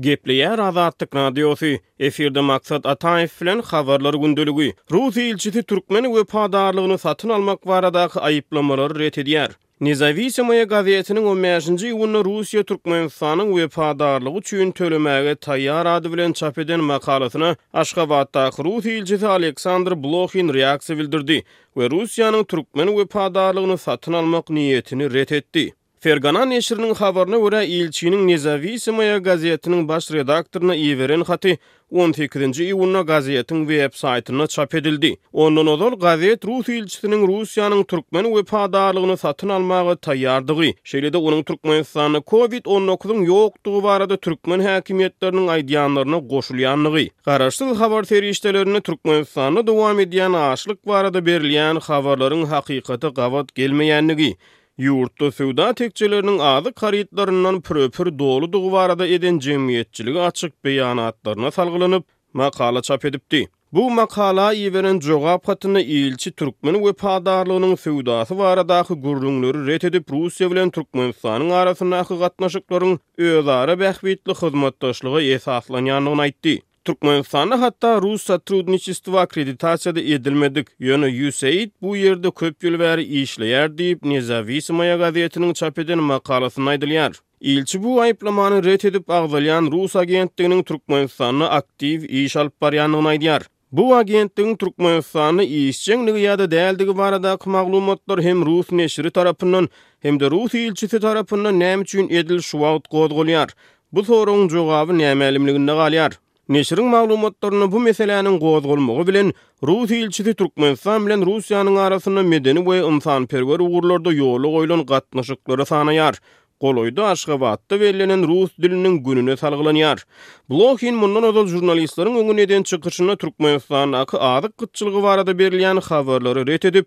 Gepleýär Azatlyk Radiosy, efirde Maksat Ataýew bilen Habarlar gündeligi. Rus ilçisi türkmen wepadarlygyny satyn almak baradaky aýyplamalary ret edýär. Nezawisimoýa gazetiniň on bäşinji iýunda Russiýa Türkmenistanyň wepadarlygy üçin tölemäge taýýar ady bilen çap eden makalasyna Aşgabatdaky rus ilçisi Aleksandr Blohin reaksiýa bildirdi we Russiýanyň türkmen wepadarlygyny satyn almak niýetini ret etdi. Fergana neşiriniň habaryna görä, ilçiniň Nezawisimoýa gazetiniň baş redaktoryna iberen haty on sekizinji iýunda gazetiň web-saýtynda çap edildi. Ondan ozal gazet rus ilçisiniň Russiýanyň türkmen wepadarlygyny satyn almaga taýýardygy, şeýle-de onuň Türkmenistanda Covid on dokuzyň ýokdugy barada türkmen häkimiýetleriniň aýdýanlaryna goşulýandygy, garaşsyz habar serişdelerinde Türkmenistanda dowam edýän açlyk barada berilýän habarlaryň hakykata gabat gelmeýändigi, Ýurtda söwda tekjeleriniň azyk harytlaryndan pürepür doludygy barada eden jemgyýetçilige açyk beýanatlaryna salgylanyp, makala çap edipdi. Bu makala iberen jogap hatynda ilçi türkmen wepadarlygynyň söwdasy baradaky gürrüňleri ret edip, Russiýa bilen Türkmenistanyň arasyndaky gatnaşyklaryň özara bähbitli hyzmatdaşlyga esaslanýandygyny aýtdy. Türkmenistanda hatda Russotrudniçestwo akkreditasiýada edilmedik, ýöne USAID bu ýerde köp ýyl bäri işleýär diýip, Nezawisimoýa gazetiniň çap eden makalasynda aýdylýar. Ilçi bu aýyplamany ret edip, agzalýan rus agentliginiň Türkmenistanda aktiw iş alyp barýandygyny aýdýar. Bu agentligiň Türkmenistanda işjeňligi ýa-da däldigi baradaky maglumatlar hem rus neşiri tarapyndan, hem-de rus ilçisi tarapyndan näme üçin edil şu wagt gozgalýar? Bu soragyň jogaby nämälimliginde galýar. Neşiriň maglumatlarynda bu meseläniň gozgalmagy bilen, rus ilçisi Türkmenistan bilen Russiýanyň arasynda medeni we ynsanperwer ugurlarda ýola goýlan gatnaşyklary sanaýar. Golaýda Aşgabatda bellenen rus diliniň gününe salgylanýar. Blohin mundan ozal žurnalistleriň öňünde eden çykyşynda Türkmenistandaky azyk gytçylygy barada berilýän habarlary ret edip,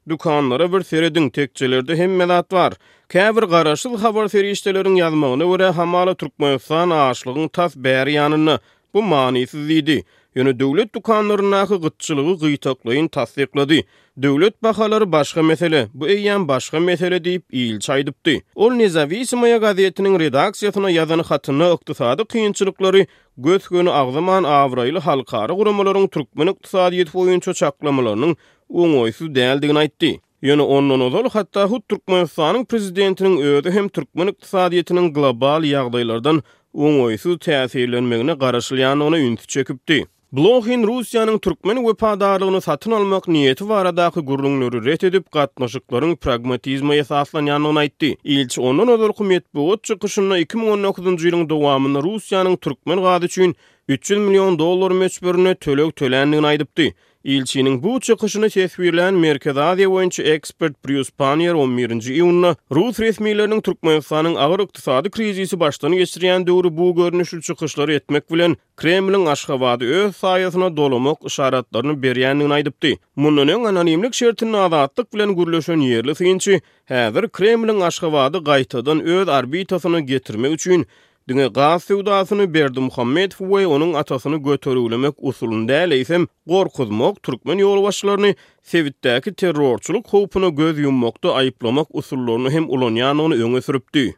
Dükanlara bir serediň, tekjelerde hemme zat bar. Käbir garaşsyz habar serişdeleriň ýazmagyna görä, hamala Türkmenistan açlygyň tas bäri ýanynda. Bu manysyz diýdi. Ýöne döwlet dükanlaryndaky gytçylygy gytaklaýyn tassyklady. Döwlet bahalary başga mesele, bu eýýäm başga mesele diýip, ilçi aýdypdy. Ol Nezawisimoýa gazetiniň redaksiýasyna ýazan hatynda ykdysady kynçylyklary gös-göni agzaman abraýly halkara guramalaryň türkmen ykdysadyýeti boýunça çaklamalarynyň oňaýsyz däldigini aýtdy. Ýöne ondan ozal hatda hut Türkmenistanyň prezidentiniň özi hem türkmen ykdysadyýetiniň global ýagdaýlardan oňaýsyz täsirlenmegine garaşylýandygyna ünsi çekipdi. Blohin Russiýanyň türkmen wepadarlygyny satyn almak niýeti baradaky gürrüňleri ret edip, gatnaşyklaryň pragmatizme esaslanýandygyny aýtdy. Ilçi ondan ozalky metbugat çykyşynda 2019-njy ýylyň dowamynda Russiýanyň türkmen gazy üçin 300 million dollar möçberinde töleg töländigini aýdypdy. Ilçiniň bu çykyşyny teswirlän Merkezi Aziýa boýunça ekspert Brýus Panniýer on birinji iýunda rus resmileriniň Türkmenistanyň agyr ykdysady krizisi başdan geçirýän döwri bu görnüşli çykyşlary etmek bilen, Kremliň Aşgabady öz saýasyna dolamak yşaratlaryny berýändigini aýdypdy. Mundan öň anonimlik şertinde Azatlyk bilen gürleşen ýerli synçy häzir Kremliň Aşgabady gaýtadan öz orbitasyna getirmek üçin Diňe gaz söwdasyny Berdimuhamedowy we onuň atasyny götergilemek usulyny däl, eýsem, gorkuzmak, türkmen ýolbaşçylaryny sebitdäki terrorçylyk howpuna göz ýummakda aýyplamak usullaryny hem ulanýandygyny öňe sürüpdi.